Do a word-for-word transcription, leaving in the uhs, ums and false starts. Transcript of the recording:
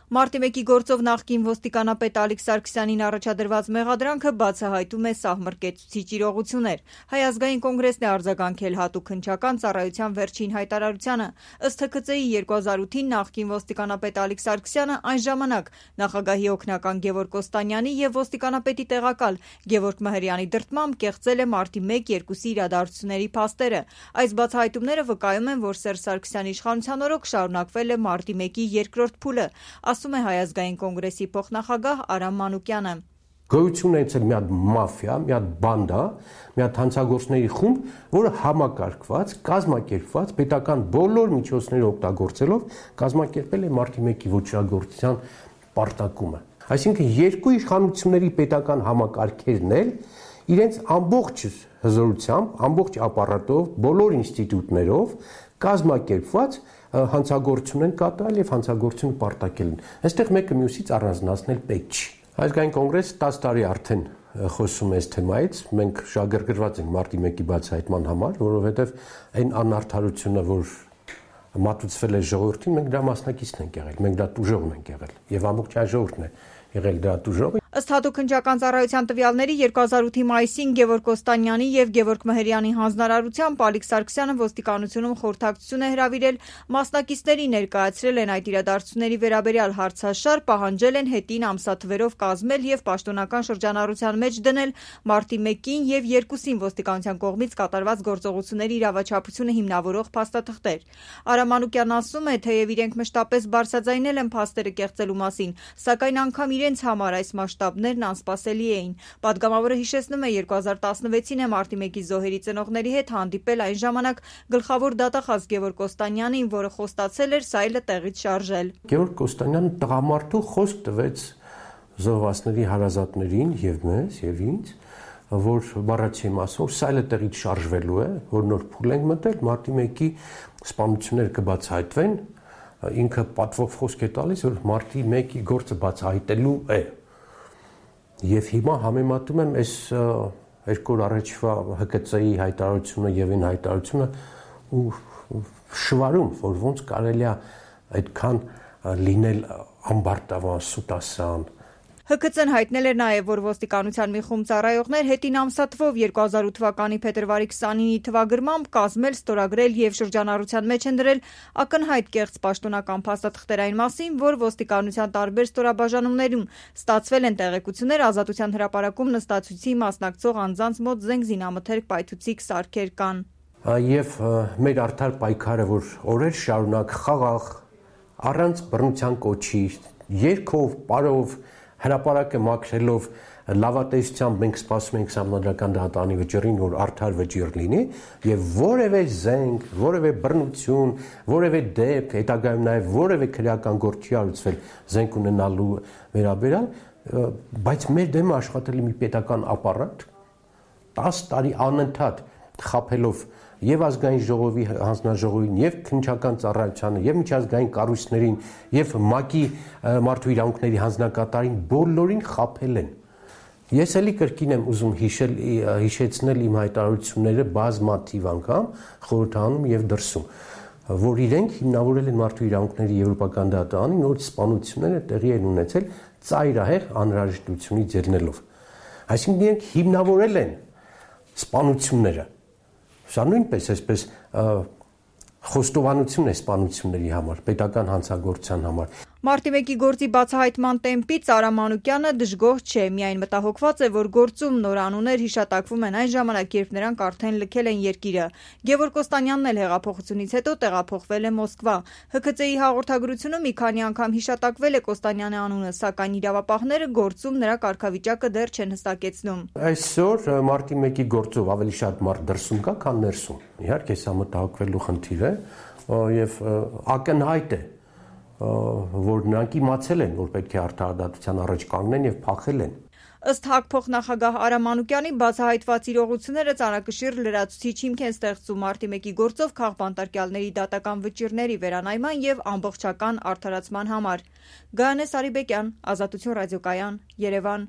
Մարտի մեկի գործով նախկին ոստիկանապետ Ալիկ Սարգսյանին առաջադրված մեղադրանքը բացահայտում է սահմռկեցուցիչ իրողություններ։ Հայ ազգային կոնգրեսն է արձագանքել հատուկ հնչական ծառայության վերջին հայտարարությանը։ Ըստ Հ K Ծ I երկու հազար ութին նախկին ոստիկանապետ Ալիկ Սարգսյանը այն ժամանակ նախագահի օգնական Գևորգ Կոստանյանի եւ ոստիկանապետի տեղակալ Գևորգ Մհրյանի դրդմամբ կեղծել է մարտի մեկ երկուսի իրադարձությունների փաստերը։ Այս բացահայտումները վկայում են, որ Սերժ Սարգսյանի իշխանության օրոք շարունակվել է մարտի մեկի երկրորդ փուլը, ասում է Հայ ազգային կոնգրեսի փոխնախագահ Արամ Մանուկյանը։ Գոյություն է ցել մի հատ մաֆիա, մի հատ բանդա, մի հատ հանցագործների խումբ, որը համակարգված, կազմակերպված, պետական բոլոր միջոցները օգտագործելով կազմակերպել է մարտի մեկի ոչրագործության պարտակումը։ Այսինքն երկու իշխանությունների պետական համակարգերն էլ իրենց ամբողջ հզորությամբ, ամբողջ ապարատով, բոլոր ինստիտուտներով կազմակերպված հանցագործություն են կատարել եւ հանցագործությունը պարտակել են։ Այստեղ մեկը մյուսից առանձնացնել պետք չի։ Ազգային կոնգրեսը տասը տարի արդեն խոսում է այս թեմայից, մենք շահագրգռված ենք մարտի մեկի բացահայտման համար, որովհետեւ այն անարդարությունը, որ մատուցվել է ժողովրդին, մենք դրա մասնակիցն ենք եղել, մենք դա տուժողն ենք եղել եւ ամբողջ հայ ժողովուրդն է եղել դրա տուժողը։ Ըստ հատուկ հնչական ծառայության տվյալների երկու հազար ութի մայիսին Գևորգ Կոստանյանի եւ Գևորգ Մհրյանի հանձնարարությամբ Ալիկ Սարգսյանը ոստիկանությունում խորհրդակցություն է հրավիրել, մասնակիցների ներկայացրել են այդ իրադարձությունների վերաբերյալ հարցաշար, պահանջել են հետին ամսաթվերով կազմել եւ պաշտոնական շրջանառության մեջ դնել մարտի մեկին եւ երկուսին ոստիկանության կողմից կատարված գործողությունների իրավաչափությունը հիմնավորող փաստաթղթեր։ Արամ Մանուկյանն ասում է, թեև իրենք մշտապես բարձրաձայնել են փաստերը կեղծելու մասին, սակայն անգամ իրենց համար այս մասշտաբներն անսպասելի էին։ Պատգամավորը հիշեցնում է երկու հազար տասնվեցին է մարտի մեկի զոհերի ծնողների հետ հանդիպել այն ժամանակ գլխավոր դատախազ Գևորգ Կոստանյանին, որը խոստացել էր սայլը տեղից շարժել։ Գևորգ Կոստանյանը տղամարդու խոսք տվեց զոհվածների հարազատներին եւ մեզ եւ ինձ, որ բառացի մասով որ սայլը տեղից շարժվելու է, որ նոր փուլ ենք մտել, մարտի մեկի սպանությունները կբացահայտվեն, ինքը պատվով խոսք է տալիս, որ մարտի մեկի գործը բացահայտելու է։ Եվ հիմա համեմատում եմ այս երկու օր առաջվա Հ K Ծ I հայտարարությունը եւ այն հայտարարությունը ու շվարում, որ ոնց կարելի է այդքան լինել ամբարտավան, սուտասան։ Հ K Ծ-ն հայտնել էր նաև, որ ոստիկանության մի խումբ ծառայողներ հետին ամսաթվով երկու հազար ութ թվականի փետրվարի քսանինի թվագրմամբ կազմել, ստորագրել եւ շրջանառության մեջ են դրել ակնհայտ կեղծ պաշտոնական փաստաթղթեր այն մասին, որ ոստիկանության տարբեր ստորաբաժանումներում ստացվել են տեղեկություններ Ազատության հրապարակում նստածույցի մասնակցող անձանց մոտ զենք զինամթերք պայթուցիկ սարքեր կան։ Եվ մեր արդար պայքարը, որ օրեր շարունակ խաղաղ, առանց բռնության կոչի, երգով, պարով հրապարակը մաքրելով լավատեսությամբ մենք սպասում ենք Սահմանադրական դատարանի վճռին, որ արդար վճիռ լինի եւ որևէ զենք, որևէ բռնություն, որևէ դեպք, հետագայում նաեւ որևէ քրեական գործ չի արուցվել զենք ունենալու վերաբերյալ, բայց մեր դեմը աշխատել է մի պետական ապարատ տասը տարի անընդհատ խաբելով եւ ազգային ժողովի հանձնաժողովին եւ քննչական ծառայությանը եւ միջազգային կառույցներին եւ ՄԱԿ-ի մարդու իրավունքների հանձնակատարին բոլորին խաբել են։ Ես էլի կրկին եմ ուզում հիշել հիշեցնել իմ հայտարարությունները բազմաթիվ անգամ խորհրդանում եւ դրսում, որ իրենք հիմնավորել են մարդու իրավունքների եվրոպական դատարանին, որ սպանությունները տեղի են ունեցել ծայրահեղ անհրաժեշտությունից ելնելով։ Այսինքն իրենք հիմնավորել են սպանությունները։ Սա նույնպես այսպես խոստովանություն է սպանությունների համար, պետական հանցագործության համար։ Մարտի մեկի գործի բացահայտման տեմպից Արամ Մանուկյանը դժգոհ չէ, միայն մտահոգված է, որ գործում նոր անուններ հիշատակվում են այն ժամանակ, երբ նրանք արդեն լքել են երկիրը։ Գևորգ Կոստանյանն էլ հեղափոխությունից հետո տեղափոխվել է Մոսկվա։ Հ K Ծ I հաղորդագրությունում մի քանի անգամ հիշատակվել է Կոստանյանի անունը, սակայն իրավապահները գործում նրա կարգավիճակը դեռ չեն հստակեցնում։ Այսօր մարտի մեկի գործով ավելի շատ մարդ դրսում կա, քան ներսում։ Իհարկե, սա մտահոգվելու խնդիր է եւ ակնհայտ է, որ նրանք իմացել են, որ պետք է արդարադատության առաջ կանգնեն եւ փախել են։ Ըստ ՀԱԿ փոխնախագահ Արամ Մանուկյանի բացահայտված իրողությունները ծանրակշիռ լրացուցիչ հիմք են ստեղծում մարտի մեկի գործով քաղբանտարկյալների դատական վճիռների վերանայման եւ ամբողջական արդարացման համար։ Գայանե Սարիբեկյան, Ազատություն ռադիոկայան, Երևան։